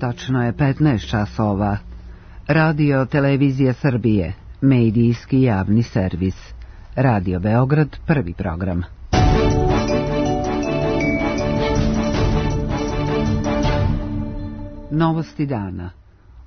Tačno je 15 časova. Radio Televizija Srbije, medijski javni servis. Radio Beograd, prvi program. Novosti dana.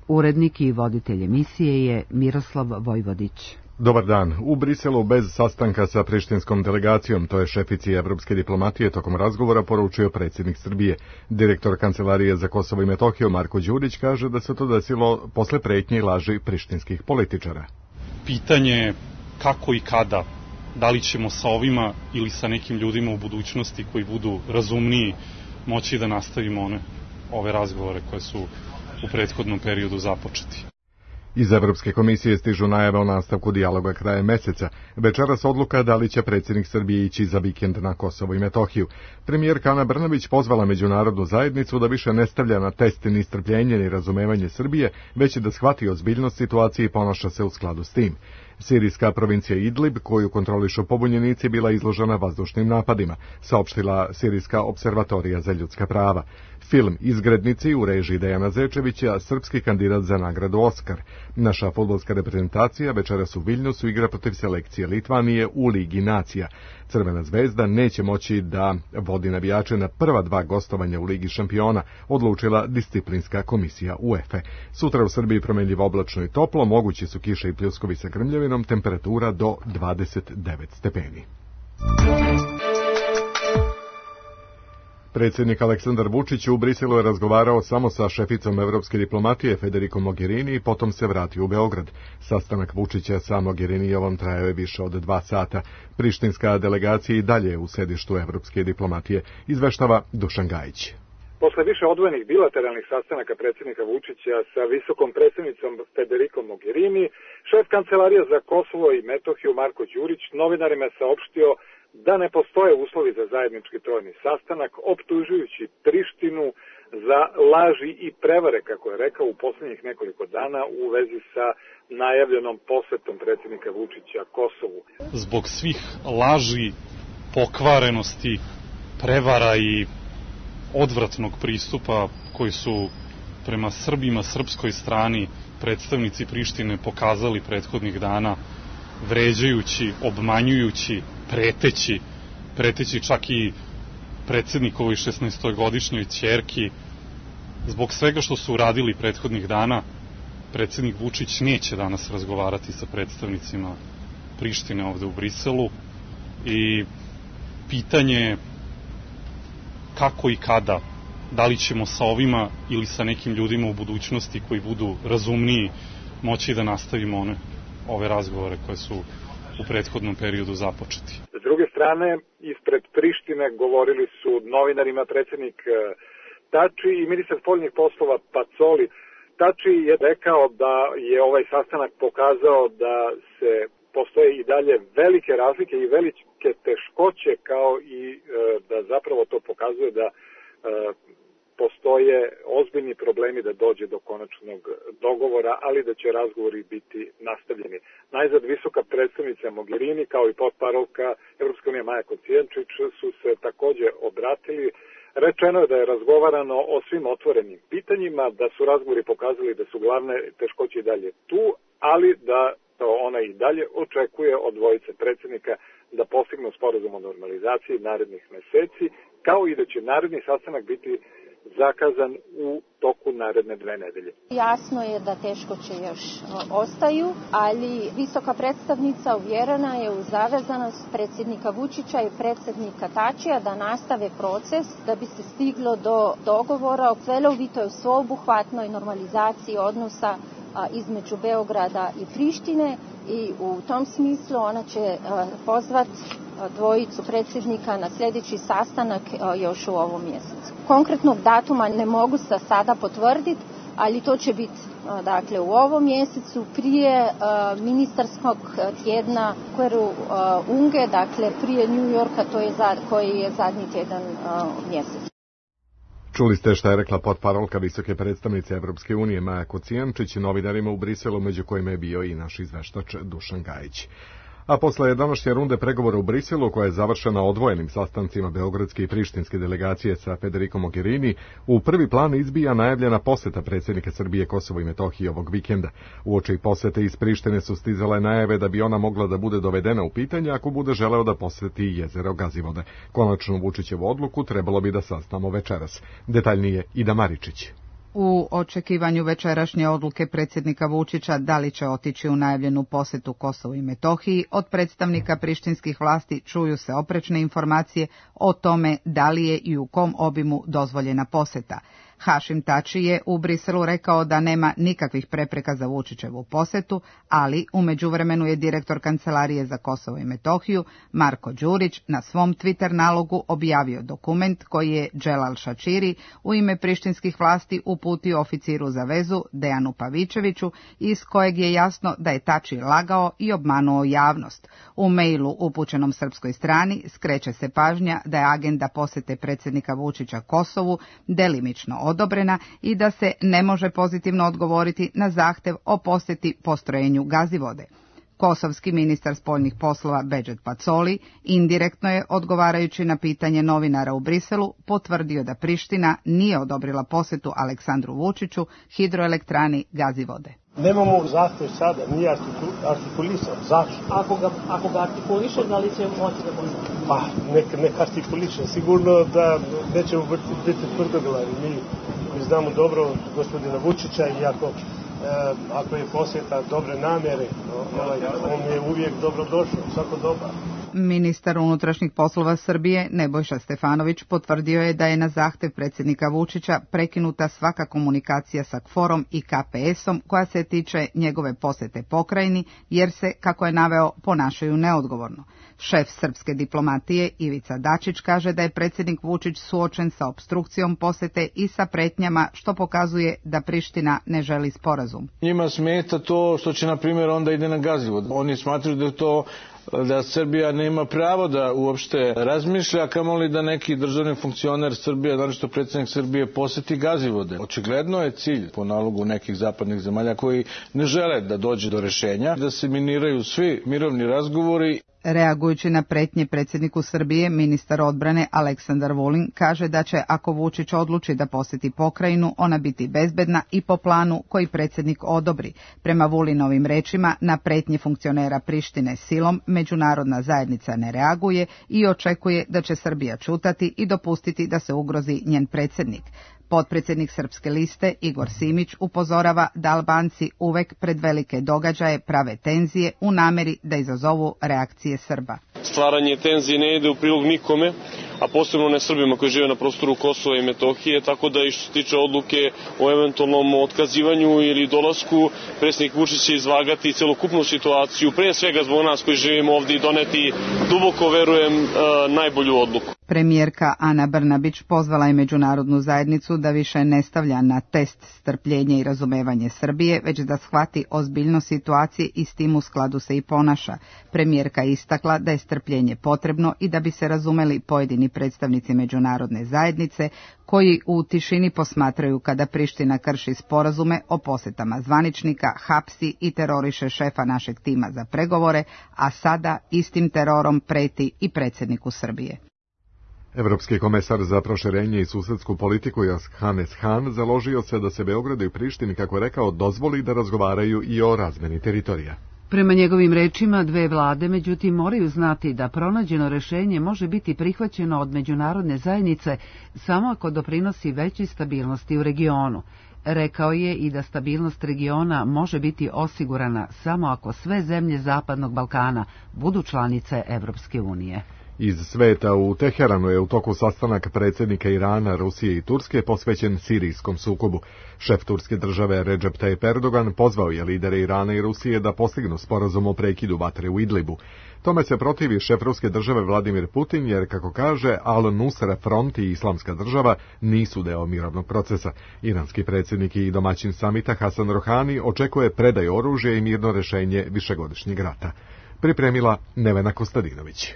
Urednik i voditelj emisije je Miroslav Vojvodić. Dobar dan. U Briselu bez sastanka sa prištinskom delegacijom, to je šefici evropske diplomatije, tokom razgovora poručio predsjednik Srbije. Direktor Kancelarije za Kosovo i Metohiju Marko Đurić kaže da se to desilo posle pretnje i laži prištinskih političara. Pitanje kako i kada, da li ćemo sa ovima ili sa nekim ljudima u budućnosti koji budu razumniji moći da nastavimo ove razgovore koje su u prethodnom periodu započeti. Iz Evropske komisije stižu najave o nastavku dijaloga krajem meseca. Večeras odluka da li će predsjednik Srbije ići za vikend na Kosovo i Metohiju. Premijerka Ana Brnabić pozvala međunarodnu zajednicu da više ne stavlja na test ni strpljenje ni razumevanje Srbije, već da shvati ozbiljnost situacije i ponaša se u skladu s tim. Sirijska provincija Idlib, koju kontrolišu pobunjenici, bila izložena vazdušnim napadima, saopštila Sirijska observatorija za ljudska prava. Film Izgrednici u režiji Dejana Zečevića, srpski kandidat za nagradu Oskar. Naša fudbalska reprezentacija večeras u Viljnusu igra protiv selekcije Litvanije u Ligi nacija. Crvena zvezda neće moći da vodi navijače na prva 2 gostovanja u Ligi šampiona, odlučila disciplinska komisija UEFA. Sutra u Srbiji promjenljivo oblačno i toplo, mogući su kiše i pljuskovi sa grmljavinom, temperatura do 29 stepeni. Predsjednik Aleksandar Vučić u Briselu je razgovarao samo sa šeficom evropske diplomatije Federico Mogherini i potom se vratio u Beograd. Sastanak Vučića sa Mogherinijevom trajao je više od 2 sata. Prištinska delegacija i dalje u sedištu evropske diplomatije, izveštava Dušan Gajić. Posle više odvojenih bilateralnih sastanaka predsjednika Vučića sa visokom predstavnicom Federico Mogherini, šef Kancelarije za Kosovo i Metohiju Marko Đurić novinarima je saopštio da ne postoje uslovi za zajednički trojni sastanak, optužujući Prištinu za laži i prevare, kako je rekao, u posljednjih nekoliko dana u vezi sa najavljenom posetom predsjednika Vučića Kosovu. Zbog svih laži, pokvarenosti, prevara i odvratnog pristupa koji su prema Srbima, srpskoj strani, predstavnici Prištine pokazali prethodnih dana, vređajući, obmanjujući, preteći čak i predsjednikovoj 16-godišnjoj ćerki. Zbog svega što su uradili prethodnih dana, predsjednik Vučić neće danas razgovarati sa predstavnicima Prištine ovde u Briselu i pitanje kako i kada, da li ćemo sa ovima ili sa nekim ljudima u budućnosti koji budu razumniji moći da nastavimo ove razgovore koje su u prethodnom periodu započeti. S druge strane, ispred Prištine govorili su novinarima predsjednik Tači i ministar spoljnih poslova Pacoli. Tači je rekao da je ovaj sastanak pokazao da postoje i dalje velike razlike i velike teškoće, kao i da zapravo to pokazuje da postoje ozbiljni problemi da dođe do konačnog dogovora, ali da će razgovori biti nastavljeni. Najzad visoka predstavnica Mogherini kao i potparolka Evropske unije Maja Kocijančić su se također obratili. Rečeno je da je razgovarano o svim otvorenim pitanjima, da su razgovori pokazali da su glavne teškoće i dalje tu, ali da to ona i dalje očekuje od dvojice predsjednika da postignu sporazum o normalizaciji narednih meseci, kao i da će naredni sastanak biti zakazan u toku naredne 2 nedelje. Jasno je da teškoće još ostaju, ali visoka predstavnica uvjerena je u zavezanost predsjednika Vučića i predsjednika Tačija da nastave proces da bi se stiglo do dogovora o celovitoj sveobuhvatnoj normalizaciji odnosa između Beograda i Prištine i u tom smislu ona će pozvati dvojicu predsjednika na sljedeći sastanak još u ovom mjesecu. Konkretnog datuma ne mogu se sada potvrditi, ali to će biti u ovom mjesecu prije ministarskog tjedna Unge, prije New Yorka, koji je zadnji tjedan mjesec. Čuli ste šta je rekla potparolka visoke predstavnice Evropske unije Maja Kocijančić novinarima u Briselu, među kojima je bio i naš izveštač Dušan Gajić. A posle današnje runde pregovora u Briselu, koja je završena odvojenim sastancima beogradske i prištinske delegacije sa Federico Mogherini, u prvi plan izbija najavljena poseta predsjednika Srbije Kosovo i Metohiji ovog vikenda. Uoči posete iz Prištine su stizale najave da bi ona mogla da bude dovedena u pitanje ako bude želeo da poseti jezero Gazivode. Konačnu Vučićevu odluku trebalo bi da saznamo večeras. Detaljnije Ida Maričić. U očekivanju večerašnje odluke predsjednika Vučića da li će otići u najavljenu posetu Kosovu i Metohiji, od predstavnika prištinskih vlasti čuju se oprečne informacije o tome da li je i u kom obimu dozvoljena poseta. Hašim Tači je u Briselu rekao da nema nikakvih prepreka za Vučićevu posetu, ali u međuvremenu je direktor Kancelarije za Kosovo i Metohiju, Marko Đurić, na svom Twitter nalogu objavio dokument koji je Dželal Šačiri u ime prištinskih vlasti uputio oficiru za vezu Dejanu Pavičeviću, iz kojeg je jasno da je Tači lagao i obmanuo javnost. U mailu upućenom srpskoj strani skreće se pažnja da je agenda posete predsjednika Vučića Kosovu delimično odobrena i da se ne može pozitivno odgovoriti na zahtev o posjeti postrojenju Gazivode. Kosovski ministar spoljnih poslova Bedžet Pacoli indirektno je, odgovarajući na pitanje novinara u Briselu, potvrdio da Priština nije odobrila posjetu Aleksandru Vučiću hidroelektrani Gazivode. Nemamo zahtev sada, nije artikulisan. Zašto? Ako ga artikuliše, da li će moći da bude? Pa, nek artikuliše. Sigurno da nećemo biti tvrdoglavi. Mi znamo dobro gospodina Vučića i ako je posjeta dobre namjere, on je uvijek dobrodošao, svako doba. Ministar unutrašnjih poslova Srbije Nebojša Stefanović potvrdio je da je na zahtev predsjednika Vučića prekinuta svaka komunikacija sa KFOR-om i KPS-om koja se tiče njegove posjete pokrajini, jer se, kako je naveo, ponašaju neodgovorno. Šef srpske diplomatije Ivica Dačić kaže da je predsjednik Vučić suočen sa opstrukcijom posjete i sa pretnjama, što pokazuje da Priština ne želi sporazum. Njima smeta to što će, na primjer, onda ide na Gazivod. Oni smatraju da Srbija nema pravo da uopšte razmišlja, kamoli da neki državni funkcioner Srbije, naročito predsjednik Srbije, poseti Gazivode. Očigledno je cilj, po nalogu nekih zapadnih zemalja koji ne žele da dođe do rešenja, da se miniraju svi mirovni razgovori. Reagujući na pretnje predsjedniku Srbije, ministar odbrane Aleksandar Vulin kaže da će, ako Vučić odluči da posjeti pokrajinu, ona biti bezbedna i po planu koji predsjednik odobri. Prema Vulinovim rečima, na pretnje funkcionera Prištine silom međunarodna zajednica ne reaguje i očekuje da će Srbija ćutati i dopustiti da se ugrozi njen predsjednik. Potpredsjednik Srpske liste Igor Simić upozorava da Albanci uvek pred velike događaje prave tenzije u nameri da izazovu reakcije Srba. Stvaranje tenzije ne ide u prilog nikome, a posebno ne Srbima koji žive na prostoru Kosova i Metohije, tako da i što se tiče odluke o eventualnom otkazivanju ili dolasku, predsjednik Vučić će izvagati celokupnu situaciju, pre svega zbog nas koji živimo ovdje, i doneti, duboko verujem, najbolju odluku. Premijerka Ana Brnabić pozvala je međunarodnu zajednicu da više ne stavlja na test strpljenje i razumevanje Srbije, već da shvati ozbiljnost situacije i s tim u skladu se i ponaša. Premijerka je istakla da je strpljenje potrebno i da bi se razumeli pojedini predstavnici međunarodne zajednice koji u tišini posmatraju kada Priština krši sporazume o posjetama zvaničnika, hapsi i teroriše šefa našeg tima za pregovore, a sada istim terorom preti i predsjedniku Srbije. Evropski komesar za proširenje i susedsku politiku Johannes Hahn založio se da se Beogradu i Prištini, kako je rekao, dozvoli da razgovaraju i o razmeni teritorija. Prema njegovim rečima, dve vlade, međutim, moraju znati da pronađeno rešenje može biti prihvaćeno od međunarodne zajednice samo ako doprinosi većoj stabilnosti u regionu. Rekao je i da stabilnost regiona može biti osigurana samo ako sve zemlje Zapadnog Balkana budu članice Evropske unije. Iz sveta u Teheranu je u toku sastanak predsjednika Irana, Rusije i Turske posvećen sirijskom sukobu. Šef turske države Recep Tayyip Erdogan pozvao je lidere Irana i Rusije da postignu sporazum o prekidu vatre u Idlibu. Tome se protivi šef ruske države Vladimir Putin, jer, kako kaže, Al-Nusra Front i Islamska država nisu deo mirovnog procesa. Iranski predsjednik i domaćin samita Hasan Rohani očekuje predaju oružja i mirno rešenje višegodišnjeg rata. Pripremila Nevena Kostadinović.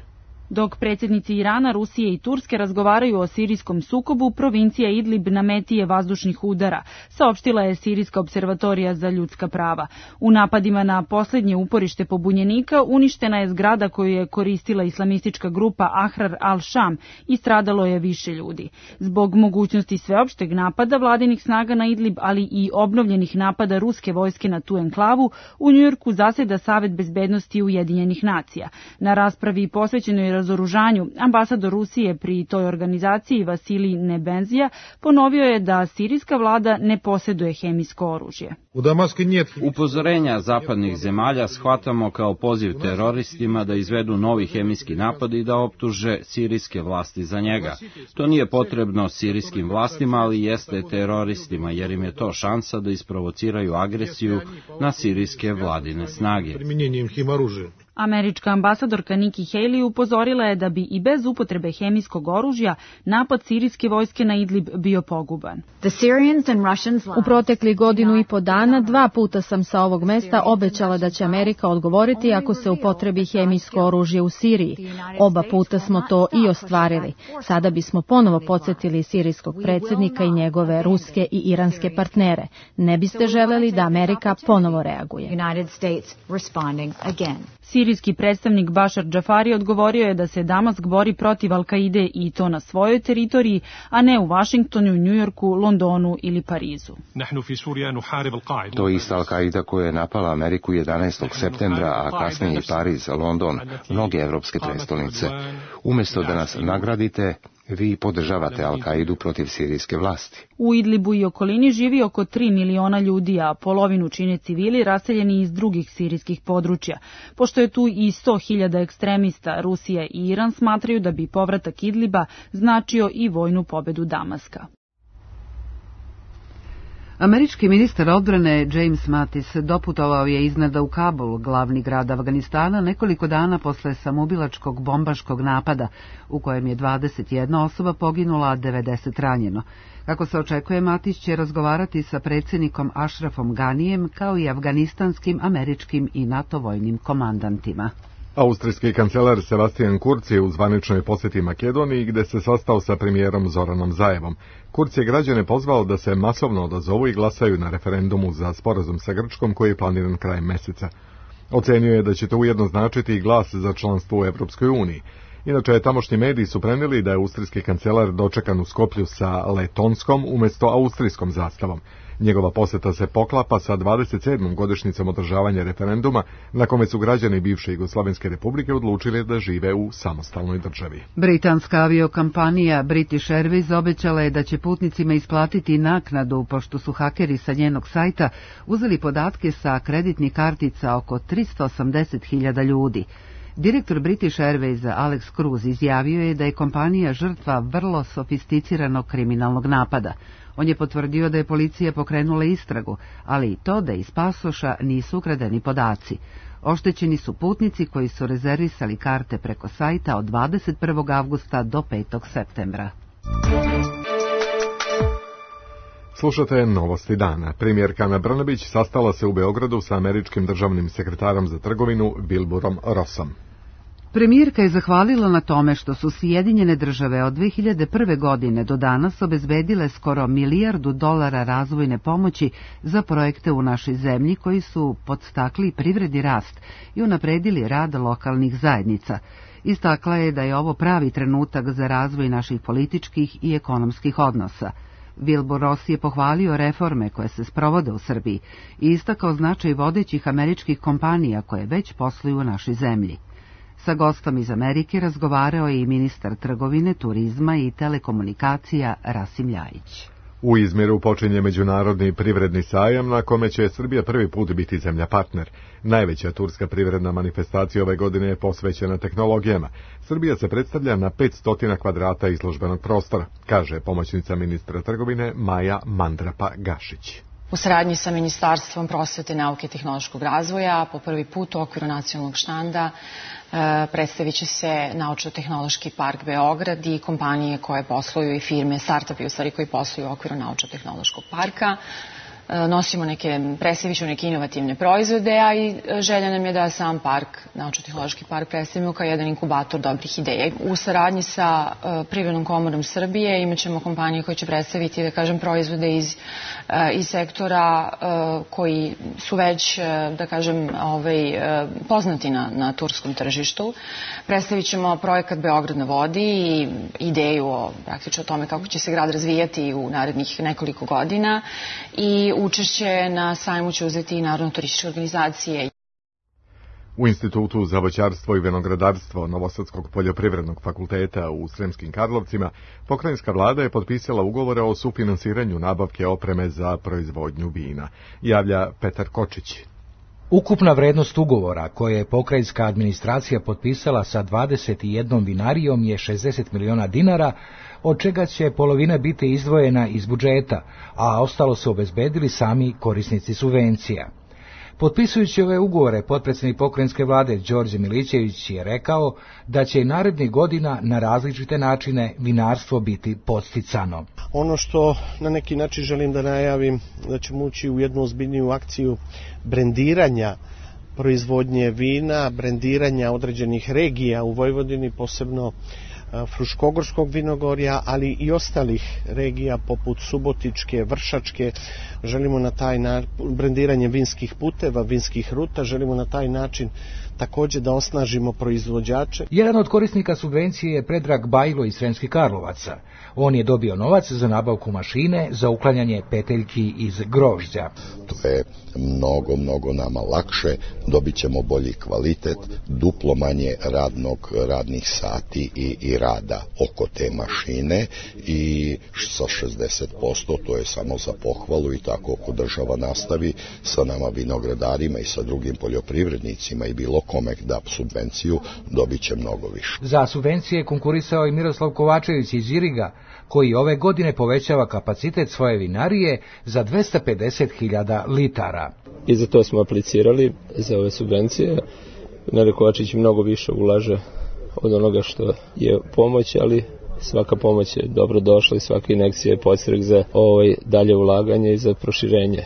Dok predsjednici Irana, Rusije i Turske razgovaraju o sirijskom sukobu, provincija Idlib na meti je vazdušnih udara, saopštila je Sirijska observatorija za ljudska prava. U napadima na posljednje uporište pobunjenika uništena je zgrada koju je koristila islamistička grupa Ahrar al-Sham i stradalo je više ljudi. Zbog mogućnosti sveopšteg napada vladinih snaga na Idlib, ali i obnovljenih napada ruske vojske na tu enklavu, u Njujorku zaseda Savet bezbednosti Ujedinjenih nacija. Na raspravi posvećenoj razoružanju, ambasador Rusije pri toj organizaciji Vasilij Nebenzija ponovio je da sirijska vlada ne posjeduje hemijsko oružje. Upozorenja zapadnih zemalja shvatamo kao poziv teroristima da izvedu novi hemijski napad i da optuže sirijske vlasti za njega. To nije potrebno sirijskim vlastima, ali jeste teroristima, jer im je to šansa da isprovociraju agresiju na sirijske vladine snage. Američka ambasadorka Nikki Haley upozorila je da bi i bez upotrebe hemijskog oružja napad sirijske vojske na Idlib bio poguban. U proteklih godinu i po dana 2 puta sam sa ovog mesta obećala da će Amerika odgovoriti ako se upotrebi hemijsko oružje u Siriji. Oba puta smo to i ostvarili. Sada bismo ponovo podsjetili sirijskog predsjednika i njegove ruske i iranske partnere. Ne biste želeli da Amerika ponovo reaguje. Sirijski predstavnik Bašar Džafari odgovorio je da se Damask bori protiv Al-Kaide i to na svojoj teritoriji, a ne u Vašingtonu, Njujorku, Londonu ili Parizu. To je ista Al-Kaida koja je napala Ameriku 11. septembra, a kasnije i Pariz, London, mnoge evropske prestolnice. Umjesto da nas nagradite, vi podržavate Al-Kaidu protiv sirijske vlasti. U Idlibu i okolini živi oko 3 miliona ljudi, a polovinu čine civili raseljeni iz drugih sirijskih područja. Pošto je tu i 100.000 ekstremista, Rusija i Iran smatraju da bi povratak Idliba značio i vojnu pobedu Damaska. Američki ministar odbrane James Mattis doputovao je iznenada u Kabul, glavni grad Afganistana, nekoliko dana posle samoubilačkog bombaškog napada, u kojem je 21 osoba poginula, a 90 ranjeno. Kako se očekuje, Mattis će razgovarati sa predsjednikom Ashrafom Ganijem, kao i afganistanskim, američkim i NATO vojnim komandantima. Austrijski kancelar Sebastian Kurz je u zvaničnoj posjeti Makedoniji, gde se sastao sa premijerom Zoranom Zaevom. Kurz je građane pozvao da se masovno odazovu i glasaju na referendumu za sporazum sa Grčkom koji je planiran krajem meseca. Ocenio je da će to ujedno značiti i glas za članstvo u Evropskoj uniji. Inače, tamošnji mediji su prenijeli da je austrijski kancelar dočekan u Skoplju sa letonskom umjesto austrijskom zastavom. Njegova posjeta se poklapa sa 27. godišnjicom održavanja referenduma, na kome su građani bivše Jugoslovenske republike odlučili da žive u samostalnoj državi. Britanska aviokompanija British Airways obećala je da će putnicima isplatiti naknadu, pošto su hakeri sa njenog sajta uzeli podatke sa kreditnih kartica oko 380.000 ljudi. Direktor British Airways Alex Cruz izjavio je da je kompanija žrtva vrlo sofisticiranog kriminalnog napada. On je potvrdio da je policija pokrenula istragu, ali i to da iz pasoša nisu ukradeni podaci. Oštećeni su putnici koji su rezervisali karte preko sajta od 21. avgusta do 5. septembra. Slušate novosti dana. Premijerka Ana Brnabić sastala se u Beogradu sa američkim državnim sekretarom za trgovinu Wilburom Rossom. Premijerka je zahvalila na tome što su Sjedinjene države od 2001. godine do danas obezbedile skoro $1 milijardu razvojne pomoći za projekte u našoj zemlji koji su podstakli privredni rast i unapredili rad lokalnih zajednica. Istakla je da je ovo pravi trenutak za razvoj naših političkih i ekonomskih odnosa. Wilbur Ross je pohvalio reforme koje se sprovode u Srbiji i istakao značaj vodećih američkih kompanija koje već posluju u našoj zemlji. Sa gostom iz Amerike razgovarao je i ministar trgovine, turizma i telekomunikacija Rasim Ljajić. U Izmiru počinje međunarodni privredni sajam na kome će Srbija prvi put biti zemlja partner. Najveća turska privredna manifestacija ove godine je posvećena tehnologijama. Srbija se predstavlja na 500 kvadrata izložbenog prostora, kaže pomoćnica ministra trgovine Maja Mandrapa-Gašić. U saradnji sa Ministarstvom prosvete, nauke i tehnološkog razvoja po prvi put u okviru nacionalnog štanda predstavit će se Naučno-tehnološki park Beograd i kompanije koje posluju i firme, startupi u stvari koji posluju u okviru Naučno-tehnološkog parka. nosimo predstavit neke inovativne proizvode, a i želja nam je da sam park, Naučno-tehnološki park, predstavimo kao jedan inkubator dobrih ideja. U saradnji sa Privrednom komorom Srbije imat ćemo kompanije koje će predstaviti, da kažem, proizvode iz sektora koji su već, da kažem, poznati na turskom tržištu. Predstavit ćemo projekat Beograd na vodi i ideju praktično o tome kako će se grad razvijati u narednih nekoliko godina i učešće na sajmu će uzeti i Narodno-turističke organizacije. U Institutu za voćarstvo i vinogradarstvo Novosadskog poljoprivrednog fakulteta u Sremskim Karlovcima pokrajinska vlada je potpisala ugovore o sufinansiranju nabavke opreme za proizvodnju vina, javlja Petar Kočić. Ukupna vrednost ugovora koje je pokrajinska administracija potpisala sa 21 vinarijom je 60 miliona dinara, od čega će polovina biti izdvojena iz budžeta, a ostalo su obezbedili sami korisnici subvencija. Potpisujući ove ugovore, potpredsjednik pokrajinske vlade Đorđe Milićević je rekao da će i narednih godina na različite načine vinarstvo biti podsticano. Ono što na neki način želim da najavim, da ćemo ući u jednu ozbiljniju akciju brendiranja proizvodnje vina, brendiranja određenih regija u Vojvodini, posebno Fruškogorskog vinogorja, ali i ostalih regija poput Subotičke, Vršačke. Želimo na taj način, brendiranje vinskih puteva, vinskih ruta, želimo na taj način također da osnažimo proizvođače. Jedan od korisnika subvencije je Predrag Bajlo iz Sremskih Karlovaca. On je dobio novac za nabavku mašine za uklanjanje peteljki iz grožđa. To je mnogo nama lakše, dobit ćemo bolji kvalitet, duplo manje radnih sati i rada oko te mašine i sa 60%, to je samo za pohvalu i tako ako država nastavi sa nama vinogradarima i sa drugim poljoprivrednicima i bilo kome da subvenciju, dobit će mnogo više. Za subvencije konkurisao i Miroslav Kovačević iz Iriga, koji ove godine povećava kapacitet svoje vinarije za 250.000 litara. I za to smo aplicirali, za ove subvencije. Vinarija Kovačić mnogo više ulaže od onoga što je pomoć, ali svaka pomoć je dobro došla i svaka injekcija je podstrek za dalje ulaganje i za proširenje.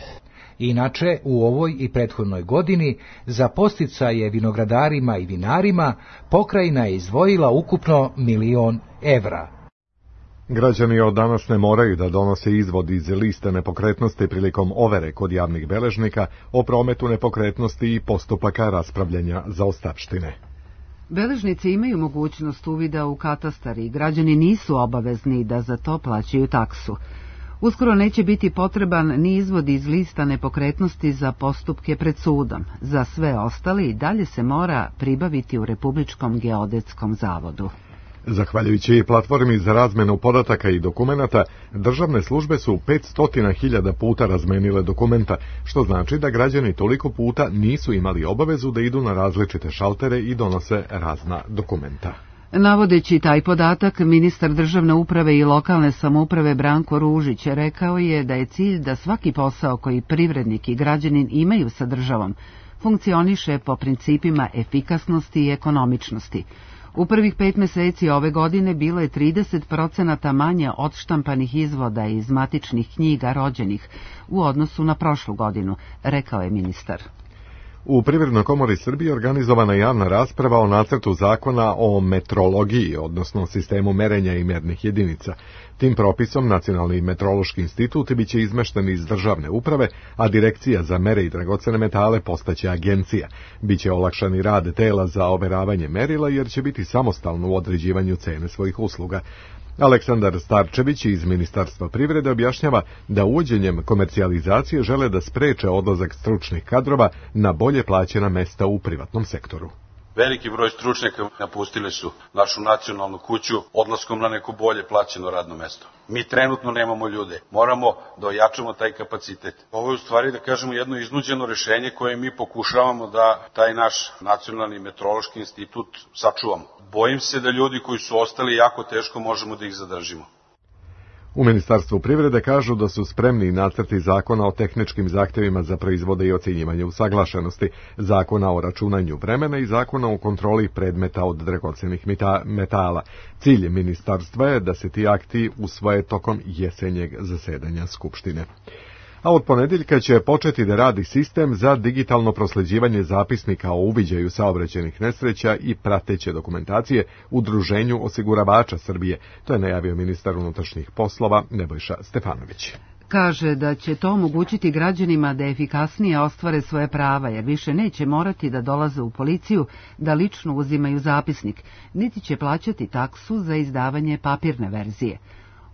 Inače, u ovoj i prethodnoj godini za podsticaje vinogradarima i vinarima pokrajina je izdvojila ukupno 1.000.000 evra. Građani od danas ne moraju da donose izvod iz liste nepokretnosti prilikom overe kod javnih beležnika o prometu nepokretnosti i postupaka raspravljanja zaostavštine. Beležnici imaju mogućnost uvida u katastar i građani nisu obavezni da za to plaćaju taksu. Uskoro neće biti potreban ni izvod iz lista nepokretnosti za postupke pred sudom. Za sve ostali i dalje se mora pribaviti u Republičkom geodetskom zavodu. Zahvaljujući platformi za razmenu podataka i dokumenata, državne službe su 500.000 puta razmenile dokumenta, što znači da građani toliko puta nisu imali obavezu da idu na različite šaltere i donose razna dokumenta. Navodeći taj podatak, ministar državne uprave i lokalne samouprave Branko Ružić rekao je da je cilj da svaki posao koji privrednik i građanin imaju sa državom funkcioniše po principima efikasnosti i ekonomičnosti. U prvih 5 meseci ove godine bilo je 30% manje odštampanih izvoda iz matičnih knjiga rođenih u odnosu na prošlu godinu, rekao je ministar. U Privrednoj komori Srbije organizovana je javna rasprava o nacrtu zakona o metrologiji, odnosno sistemu merenja i mjernih jedinica. Tim propisom Nacionalni metrološki institut biće izmešten iz državne uprave, a Direkcija za mere i dragocene metale postaće agencija. Biće olakšani rad tela za overavanje merila jer će biti samostalno u određivanju cene svojih usluga. Aleksandar Starčević iz Ministarstva privrede objašnjava da uvođenjem komercijalizacije žele da spreče odlazak stručnih kadrova na bolje plaćena mesta u privatnom sektoru. Veliki broj stručnjaka napustili su našu nacionalnu kuću odlaskom na neko bolje plaćeno radno mesto. Mi trenutno nemamo ljude, moramo da ojačamo taj kapacitet. Ovo je u stvari, da kažemo, jedno iznuđeno rešenje koje mi pokušavamo da taj naš Nacionalni metrološki institut sačuvamo. Bojim se da ljudi koji su ostali jako teško možemo da ih zadržimo. U Ministarstvu privrede kažu da su spremni nacrti zakona o tehničkim zahtjevima za proizvode i ocjenjivanje usaglašenosti, zakona o računanju vremena i zakona o kontroli predmeta od dragocenih metala. Cilj ministarstva je da se ti akti usvoje tokom jesenjeg zasedanja Skupštine. a od ponedeljka će početi da radi sistem za digitalno prosleđivanje zapisnika o uviđaju saobraćajnih nesreća i prateće dokumentacije Udruženju osiguravača Srbije. To je najavio ministar unutrašnjih poslova Nebojša Stefanović. Kaže da će to omogućiti građanima da efikasnije ostvare svoje prava, jer više neće morati da dolaze u policiju da lično uzimaju zapisnik, niti će plaćati taksu za izdavanje papirne verzije.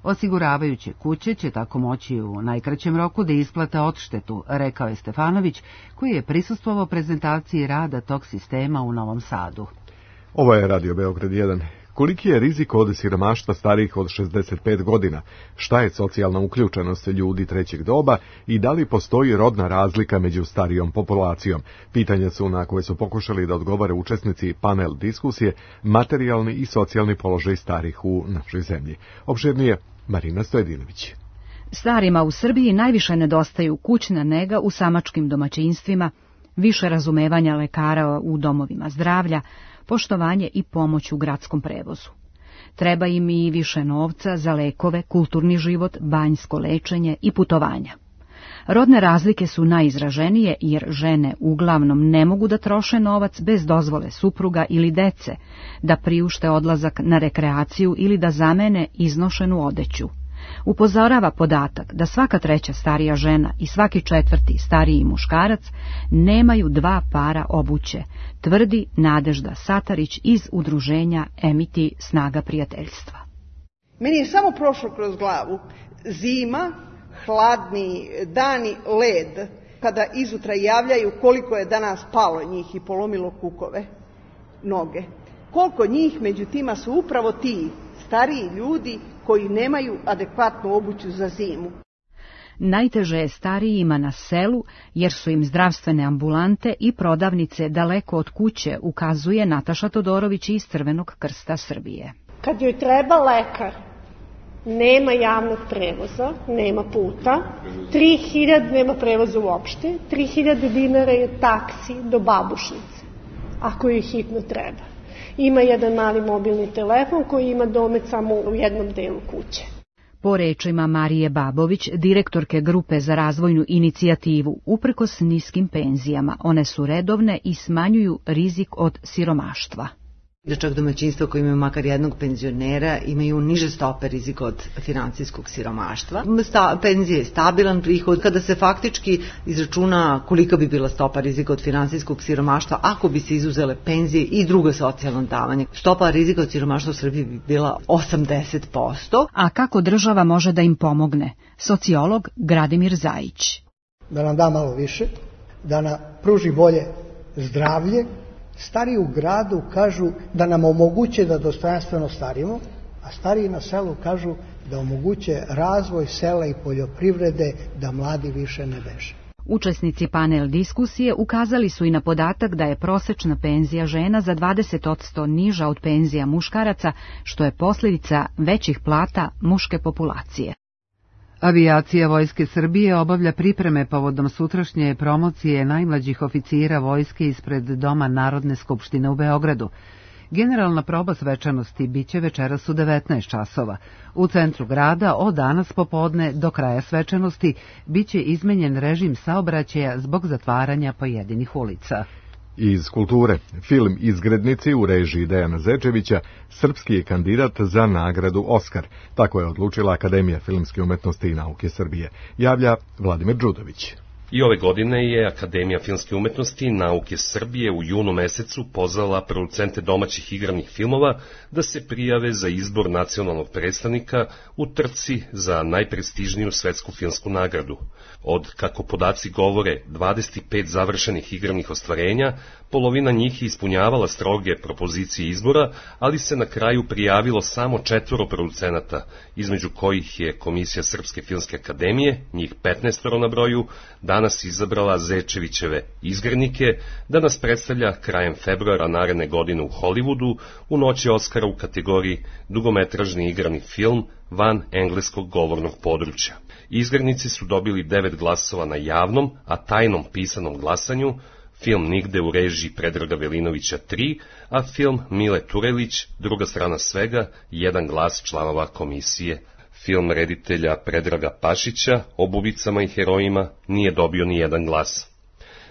Osiguravajuće kuće će tako moći u najkraćem roku da isplate odštetu, rekao je Stefanović, koji je prisustvovao prezentaciji rada tog sistema u Novom Sadu. Ovo je Radio Beograd 1. Koliki je rizik od siromaštva starijih od 65 godina? Šta je socijalna uključenost ljudi trećeg doba i da li postoji rodna razlika među starijom populacijom? Pitanja su na koje su pokušali da odgovore učesnici panel diskusije materijalni i socijalni položaj starih u našoj zemlji. Opširnije Marina Stojedinović. Starima u Srbiji najviše nedostaju kućna nega u samačkim domaćinstvima, više razumevanja lekara u domovima zdravlja, poštovanje i pomoć u gradskom prevozu. Treba im i više novca za lekove, kulturni život, banjsko lečenje i putovanja. Rodne razlike su najizraženije jer žene uglavnom ne mogu da troše novac bez dozvole supruga ili dece, da priušte odlazak na rekreaciju ili da zamene iznošenu odeću. Upozorava podatak da svaka treća starija žena i svaki četvrti stariji muškarac nemaju 2 para obuće, tvrdi Nadežda Satarić iz udruženja Emiti Snaga prijateljstva. Meni je samo prošlo kroz glavu zima, hladni dani, led, kada izutra javljaju koliko je danas palo njih i polomilo kukove, noge. Koliko njih među tima su upravo ti stariji ljudi koji nemaju adekvatnu obuću za zimu. Najteže je starijima na selu, jer su im zdravstvene ambulante i prodavnice daleko od kuće, ukazuje Nataša Todorović iz Crvenog krsta Srbije. Kad joj treba lekar, nema javnog prevoza, nema puta, 3000 nema prevoza uopšte, 3000 dinara je taksi do babušnice, ako joj hitno treba. Ima jedan mali mobilni telefon koji ima domet samo u jednom delu kuće. Po rečima Marije Babović, direktorke grupe za razvojnu inicijativu, uprkos niskim penzijama, one su redovne i smanjuju rizik od siromaštva. Da čak domaćinstva koji imaju makar jednog penzionera imaju niže stope rizika od financijskog siromaštva. Penzija je stabilan prihod. Kada se faktički izračuna kolika bi bila stopa rizika od financijskog siromaštva ako bi se izuzele penzije i druga socijalna davanja, stopa rizika od siromaštva u Srbiji bi bila 80%. A kako država može da im pomogne? Sociolog Gradimir Zajić. Da nam da malo više, da nam pruži bolje zdravlje. Stariji u gradu kažu da nam omoguće da dostojanstveno starimo, a stariji na selu kažu da omoguće razvoj sela i poljoprivrede, da mladi više ne beže. Učesnici panel diskusije ukazali su i na podatak da je prosečna penzija žena za 20% niža od penzija muškaraca, što je posljedica većih plata muške populacije. Avijacija Vojske Srbije obavlja pripreme povodom sutrašnje promocije najmlađih oficira vojske ispred Doma Narodne skupštine u Beogradu. Generalna proba svečanosti biće večeras u 19 časova. U centru grada od danas popodne do kraja svečanosti biće izmenjen režim saobraćaja zbog zatvaranja pojedinih ulica. Iz kulture, film Izgrednici u režiji Dejana Zečevića srpski je kandidat za nagradu Oskar. Tako je odlučila Akademija filmske umetnosti i nauke Srbije. Javlja Vladimir Đudović. I ove godine je Akademija filmske umetnosti i nauke Srbije u junu mesecu pozvala producente domaćih igranih filmova da se prijave za izbor nacionalnog predstavnika u trci za najprestižniju svetsku filmsku nagradu. Od, kako podaci govore, 25 završenih igranih ostvarenja, polovina njih je ispunjavala stroge propozicije izbora, ali se na kraju prijavilo samo 4 producenata, između kojih je Komisija Srpske filmske akademije, njih 15 na broju, danas izabrala Zečevićeve Izgrednike da nas predstavlja krajem februara naredne godine u Hollywoodu u noći Oskara u kategoriji dugometražni igrani film van engleskog govornog područja. Izgrednici su dobili 9 glasova na javnom, a tajnom pisanom glasanju, film Nigde u režiji Predraga Velinovića 3, a film Mile Turelić, Druga strana svega, 1 glas članova komisije. Film reditelja Predraga Pašića o bubicama i herojima nije dobio ni jedan glas.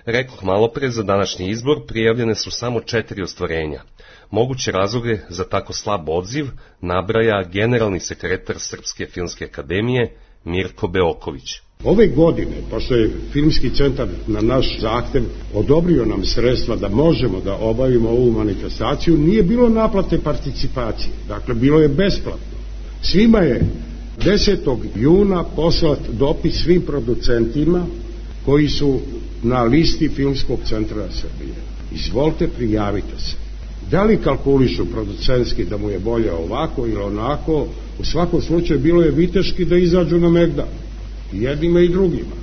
Rekoh malopre, za današnji izbor prijavljene su samo 4 ostvarenja. Moguće razloge za tako slab odziv nabraja generalni sekretar Srpske filmske akademije Mirko Beoković. Ove godine, pošto je Filmski centar na naš zahtev odobrio nam sredstva da možemo da obavimo ovu manifestaciju, nije bilo naplate participacije, dakle bilo je besplatno. Svima je 10. juna poslat dopis svim producentima koji su na listi Filmskog centra Srbije. Izvolite, prijavite se. Da li kalkulišu producentski da mu je bolje ovako ili onako, u svakom slučaju bilo je viteški da izađu na Megdan. I jednima i drugima.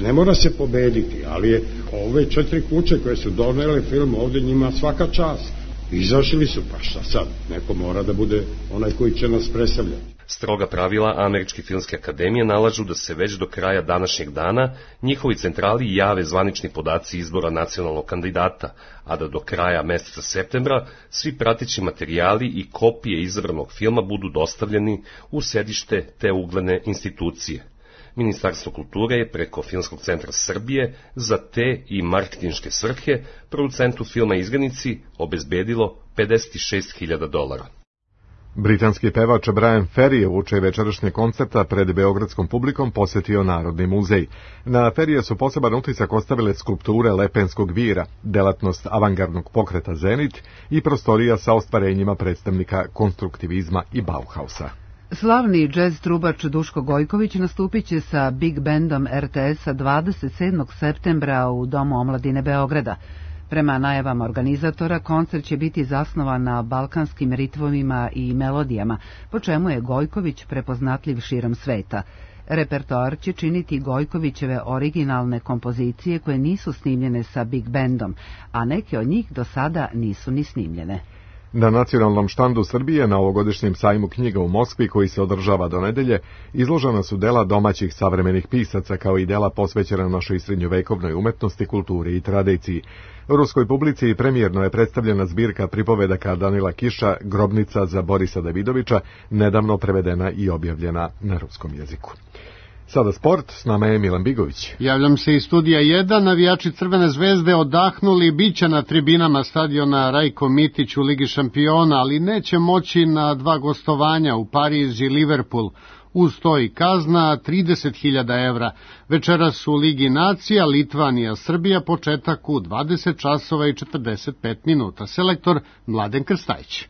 Ne mora se pobediti, ali je ove 4 kuće koje su donele film ovde njima svaka čast. Izašli su, pa šta sad? Neko mora da bude onaj koji će nas predstavljati. Stroga pravila Američke filmske akademije nalažu da se već do kraja današnjeg dana njihovi centrali jave zvanični podaci izbora nacionalnog kandidata, a da do kraja meseca septembra svi prateći materijali i kopije izabranog filma budu dostavljeni u sedište te ugledne institucije. Ministarstvo kulture je preko Filmskog centra Srbije za te i marketinške svrhe producentu filma Izganici obezbedilo $56.000. Britanski pevač Brian Ferry je uoči večerašnjeg koncerta pred beogradskom publikom posetio Narodni muzej. Na Ferrija su poseban utisak ostavile skulpture Lepenskog vira, delatnost avangardnog pokreta Zenit i prostorija sa ostvarenjima predstavnika konstruktivizma i Bauhausa. Slavni džez trubač Duško Gojković nastupit će sa Big Bandom RTS-a 27. septembra u Domu omladine Beograda. Prema najavama organizatora, koncert će biti zasnovan na balkanskim ritmovima i melodijama, po čemu je Gojković prepoznatljiv širom sveta. Repertoar će činiti Gojkovićeve originalne kompozicije koje nisu snimljene sa Big Bandom, a neke od njih do sada nisu ni snimljene. Na nacionalnom štandu Srbije na ovogodišnjem sajmu knjiga u Moskvi, koji se održava do nedelje, izložena su dela domaćih savremenih pisaca, kao i dela posvećena našoj srednjovekovnoj umetnosti, kulturi i tradiciji. Ruskoj publici premijerno je predstavljena zbirka pripovedaka Danila Kiša, Grobnica za Borisa Davidovića, nedavno prevedena i objavljena na ruskom jeziku. Sada sport, s nama je Milan Bigović. Javljam se iz studija 1, navijači Crvene zvezde odahnuli, biće na tribinama stadiona Rajko Mitić u Ligi šampiona, ali neće moći na 2 gostovanja u Pariz i Liverpool. Uz to i kazna 30.000 evra. Večeras u Ligi nacija Litvanija Srbija, početak u 20 časova i 45 minuta. Selektor Mladen Krstajić.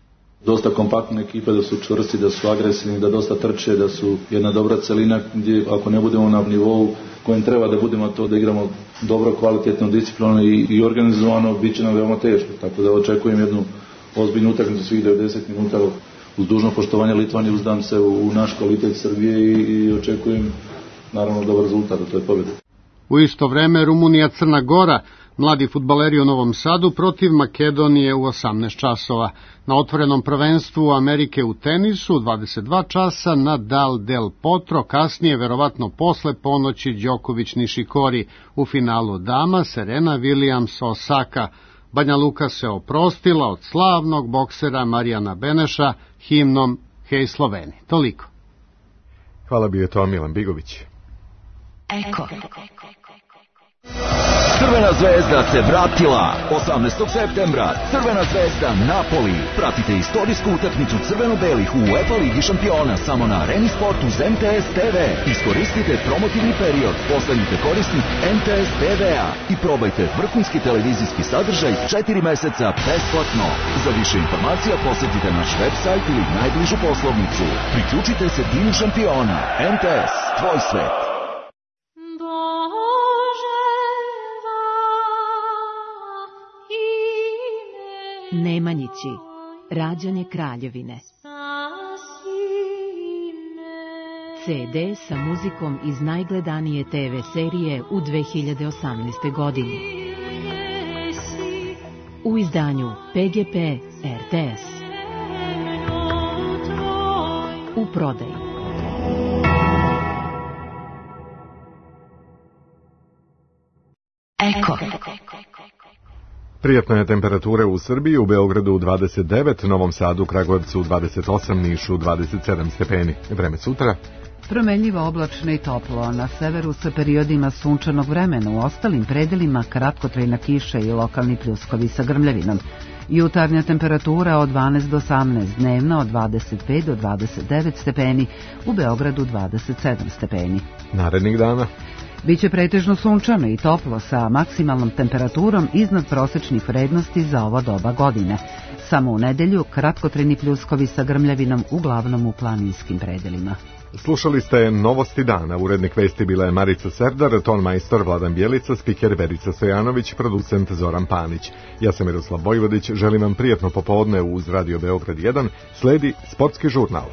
Dosta kompaktna ekipa, da su čvrsti, da su agresivni, da dosta trče, da su jedna dobra celina gdje ako ne budemo na nivou kojem treba da budemo, to da igramo dobro, kvalitetno, disciplinovano i organizovano, bit će nam veoma teško. Tako da očekujem jednu ozbiljnu utakmicu svih 90 minuta. Uz dužno poštovanje Litvanije uzdam se u naš kvalitet Srbije i očekujem naravno dobar rezultat, to je pobjeda. U isto vreme Rumunija Crna Gora, mladi fudbaleri u Novom Sadu protiv Makedonije u 18 časova. Na otvorenom prvenstvu Amerike u tenisu 22 časa Nadal Del Potro, kasnije verovatno posle ponoći Đoković Nišikori. U finalu dama Serena Williams Osaka. Banja Luka se oprostila od slavnog boksera Marijana Beneša himnom Hej Sloveni. Toliko. Hvala, bio je to Milan Bigović. Eko. Crvena zvezda se vratila 18. septembra. Crvena zvezda Napoli. Pratite istorijsku utakmicu crveno-belih u UEFA Ligi šampiona samo na Areni Sport uz MTS TV. Iskoristite promotivni period, postanite korisnik MTS TV-a i probajte vrhunski televizijski sadržaj 4 meseca besplatno. Za više informacija posjetite naš website ili najbližu poslovnicu. Priključite se timu šampiona. MTS, tvoj svet. Nemanjići, rađanje Kraljevine. CD sa muzikom iz najgledanije TV serije u 2018. godini. U izdanju PGP RTS. U prodaji. Eko. Prijatne temperature u Srbiji, u Beogradu 29, Novom Sadu, Kragujevcu 28, Nišu 27 stepeni. Vreme sutra. Promenljivo, oblačno i toplo, na severu sa periodima sunčanog vremena, u ostalim predelima kratkotrajna kiša i lokalni pljuskovi sa grmljavinom. Jutarnja temperatura od 12 do 18, dnevna od 25 do 29 stepeni, u Beogradu 27 stepeni. Narednih dana biće pretežno sunčano i toplo sa maksimalnom temperaturom iznad prosečnih vrednosti za ovo doba godine. Samo u nedelju kratkotrajni pljuskovi sa grmljavinom, uglavnom u planinskim predelima. Slušali ste Novosti dana. Urednik vesti bila je Marica Serdar, ton majstor Vladan Bjelica, spiker Verica Stojanović, producent Zoran Panić. Ja sam Miroslav Vojvodić, želim vam prijatno popodne uz Radio Beograd 1, sledi Sportski žurnal.